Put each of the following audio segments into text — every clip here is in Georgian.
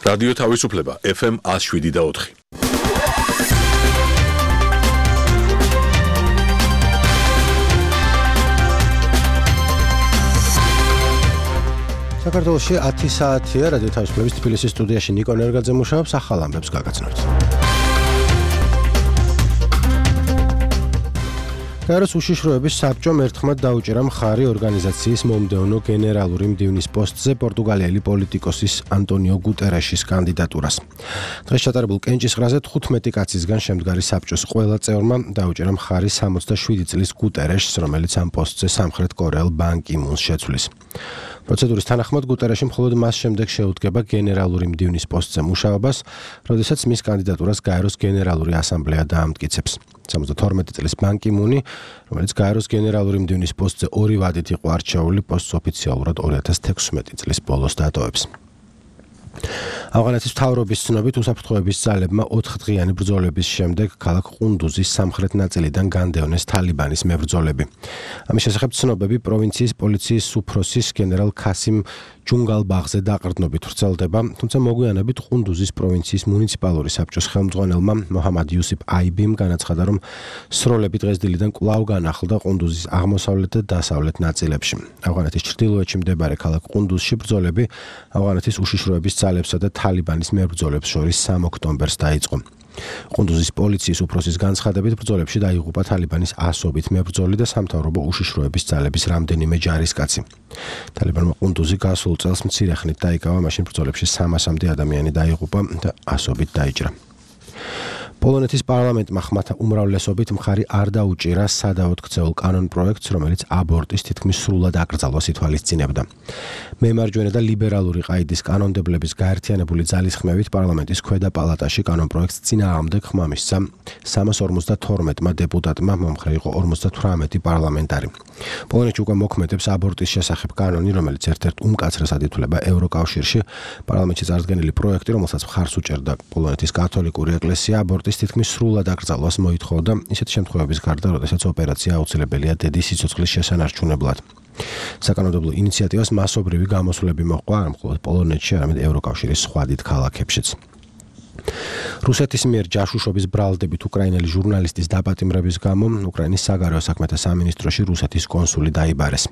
რადიო თავისუფლება FM 107.4. საქართველოში 10 საათია რადიო თავისუფლების თბილისის სტუდიაში ნიკო ნერგაძე მუშაობს, ახალ ამბებს გაგაცნობთ. გაეროს უშიშროების საბჭომ ერთხმად დაუჭირა მხარი ორგანიზაციის მომდევნო გენერალური მდივნის პოსტზე პორტუგალიელი პოლიტიკოსის ანტონიო გუტერეშის კანდიდატურას. დღეს ჩატარებულ კენჭისყრაზე 15 კაცისგან შემდგარი საბჭოს ყველა წევრმა დაუჭირა მხარი 67 წლის გუტერეშს, რომელიც ამ პოსტზე სამხრეთ კორეელ ბან კი მუნს შეცვლის. პროცედურის თანახმად გუტერეში მხოლოდ მას შემდეგ შეუდგება გენერალური მდივნის პოსტზე მუშაობას, როდესაც მის კანდიდატურას გაეროს გენერალური ასამბლეა დაამტკიცებს. 72 წლის ბან კი მუნი, რომელიც გაეროს გენერალური მდივნის პოსტზე 2 ვადით იყო არჩეული, პოსტს ოფიციალურად 2016 წლის ბოლოს დატოვებს. ავღანეთის მთავრობის ცნობით უსაფრთხოების ძალებმა 4 დღიანი ბრძოლების შემდეგ ქალაქ ყუნდუზის სამხრეთ ნაწილიდან განდევნეს თალიბანის მებრძოლები. ამის შესახებ ცნობები პროვინციის პოლიციის უფროსის გენერალ ქასიმ ჯუნგალბაღზე დაყრდნობით ვრცელდება, თუმცა მოგვიანებით ყუნდუზის პროვინციის მუნიციპალური საბჭოს ხელმძღვანელმა მოჰამად იუსიფ აიბიმ განაცხადა, რომ სროლები დღესდილიდან კვლავ განახლდა ყუნდუზის აღმოსავლეთ და დასავლეთ ნაწილებში. ავღანეთის ჩრდილოეთში მდებარე ქალაქ ყუნდუზში ბრძოლები ავღანეთის უშიშროების ძალებსა და თალიბანის მებრძოლებს შორის 3 ოქტომბერს დაიწყო. ყუნდუზის პოლიციის უფროსის განცხადებით ბრძოლებში დაიღუპა თალიბანის 100-ობით მებრძოლი და სამთავრობო უშიშროების ძალების რამდენიმე ჯარისკაცი. თალიბანმა ყუნდუზი გასულ წელს მცირე ხნით დაიკავა, მაშინ ბრძოლებში 300-მდე ადამიანი დაიღუპა და 100-ობით დაიჭრა. პოლონეთის პარლამენტმა ხმათა უმრავლესობით მხარი არ დაუჭირა სადავოდ ქცეულ კანონპროექტს, რომელიც აბორტის თითქმის სრულად აკრძალვას ითვალისწინებდა. მემარჯვენე და ლიბერალური ყაიდის კანონმდებლების გაერთიანებული ძალის ხმევით პარლამენტის ქვედა პალატაში კანონპროექტს წინააღმდეგ ხმა მისცა 352-მა დეპუტატმა, მომხრე იყო 58 პარლამენტარი. პოლონეთში უკვე მოქმედებს აბორტის შესახებ კანონი, რომელიც ერთ-ერთ უმკაცრესად ითვლება ევროკავშირში. პარლამენტში წარდგენილი პროექტი, რომელსაც მხარს უჭერდა პოლონეთის კათოლიკური ეკლესია, აბორტის თითქმის სრულად აკრძალვას მოითხოვდა, ისეთ შემთხვევების გარდა, როდესაც ოპერაცია აუცილებელია დედის სიცოცხლის შესანარჩუნებლად. საკანონმდებლო ინიციატივას მასობრივი გამოსვლები მოჰყვა არა მხოლოდ პოლონეთში, არამედ ევროკავშირის სხვა დიდ ქალაქებშიც. რუსეთის მიერ ჯაშუშობის ბრალდებით უკრაინელი ჟურნალისტის დაპატიმრების გამო უკრაინის საგარეო საქმეთა სამინისტროში რუსეთის კონსული დაიბარეს.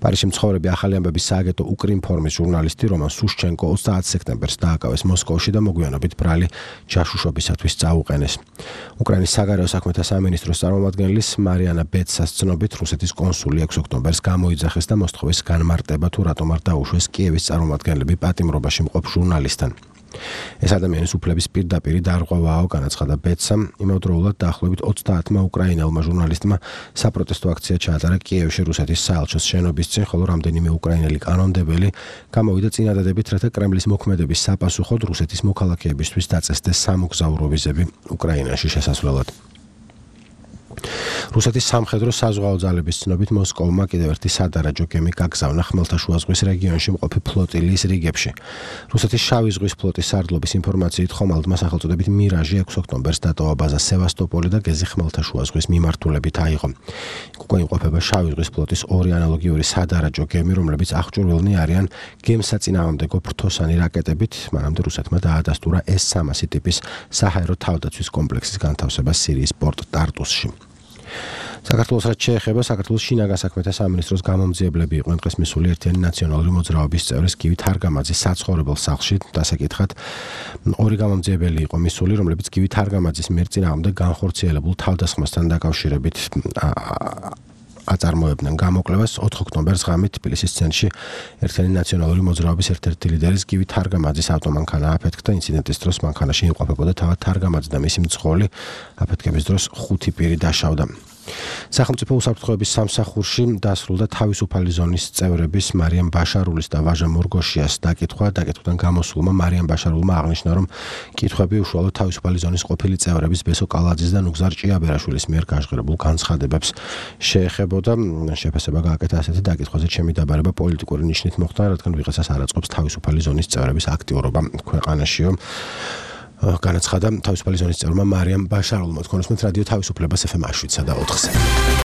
პარიზში მცხოვრები ახალი ამბების სააგენტო უკრინფორმის ჟურნალისტი რომან სუშჩენკო 30 სექტემბერს დააკავეს მოსკოვში და მოგვიანებით ბრალი ჯაშუშობისათვის წაუყენეს. უკრაინის საგარეო საქმეთა სამინისტროს წარმომადგენლის მარიანა ბეცას ცნობით რუსეთის კონსული 6 ოქტომბერს გამოიძახეს და მოსთხოვეს განმარტება, თუ რატომ არ დაუშვეს კიევის წარმომადგენლები პატიმრობაში მყოფ ჟურნალისტთან. ეს ადამიანის უფლების პირდაპირი დარღვევაა, განაცხადა ბეცამ. იმავდროულად დაახლოებით 30-მა უკრაინელმა ჟურნალისტმა საპროტესტო აქცია ჩაატარა კიევში რუსეთის საელჩოს შენობის წინ, ხოლო რამდენიმე უკრაინელი კანონმდებელი გამოვიდა წინადადებით, რათა კრემლის მოქმედების საპასუხოდ რუსეთის მოქალაქეებისთვის დაწესდეს სამოგზაურო ვიზები უკრაინაში შესასვლელად. რუსეთის სამხედრო საზღვაო ძალების ცნობით მოსკოვმა კიდევ ერთი სადარაჯო გემი გაგზავნა ხმელთაშუა ზღვის რეგიონში მყოფი ფლოტილიის რიგებში. რუსეთის შავი ზღვის ფლოტის სარდლობის ინფორმაციით ხომალდმა სახელწოდებით მირაჟი 6 ოქტომბერს დატოვა ბაზა სევასტოპოლი და გეზი ხმელთაშუა ზღვის მიმართულებით აიღო. უკვე იმყოფება შავი ზღვის ფლოტის 2 ანალოგიური სადარაჯო გემი, რომლებიც აღჭურვილნი არიან გემსაწინააღმდეგო ფრთოსანი რაკეტებით, მანამდე რუსეთმა დაადასტურა S-300 ტიპის საჰაერო თავდაცვის კომპლექსის განთავსება სირიის პორტ ტარტუსში. საქართველოს რაც შეეხება, საქართველოს შინაგან საქმეთა სამინისტროს გამომძიებლები იყვნენ დღეს მისული ერთიანი ნაციონალური მოძრაობის წევრის გივი თარგამაძის საცხოვრებელ სახლში. დასაკითხად 2 გამომძიებელი იყო მისული, რომლებიც გივი თარგამაძის მიერ წინააღმდეგ განხორციელებულ თავდასხმასთან დაკავშირებით აწარმოებდნენ გამოკვლევას. 4 ოქტომბერს ღამით თბილისის ცენტრში ერთიანი ნაციონალური მოძრაობის ერთ-ერთი ლიდერის გივი თარგამაძის ავტომანქანა აფეთქდა. ინციდენტის დროს მანქანაში იმყოფებოდა თავად თარგამაძე და მისი მძღოლი. აფეთქების დროს 5 პირი დაშავდა. სახელმწიფო უსაფრთხოების სამსახურში დასრულდა თავისუფალი ზონის წევრების მარიამ ბაშარულის და ვაჟა მორგოშიას დაკითხვა. დაკითხვიდან გამოსულმა მარიამ ბაშარულმა აღნიშნა, რომ კითხვები უშუალოდ თავისუფალი ზონის ყოფილი წევრების ბესო კალაძის და ნუგზარ ჭიაბერაშვილის მიერ გაჟღერებულ განცხადებებს შეეხებოდა. შეფასება გააკეთა ასეთი დაკითხვაზე ჩემი დაბარება პოლიტიკური ნიშნით მოხდა, რადგან ვიღაცას არ აწყობს თავისუფალი ზონის წევრების აქტიურობა ქვეყანაშიო. განაცხადა თავისუფალი ზონის წევრმა მარიამ ბაშარულმა. თქვენ უსმენთ რადიო თავისუფლებას FM 107.4-ზე.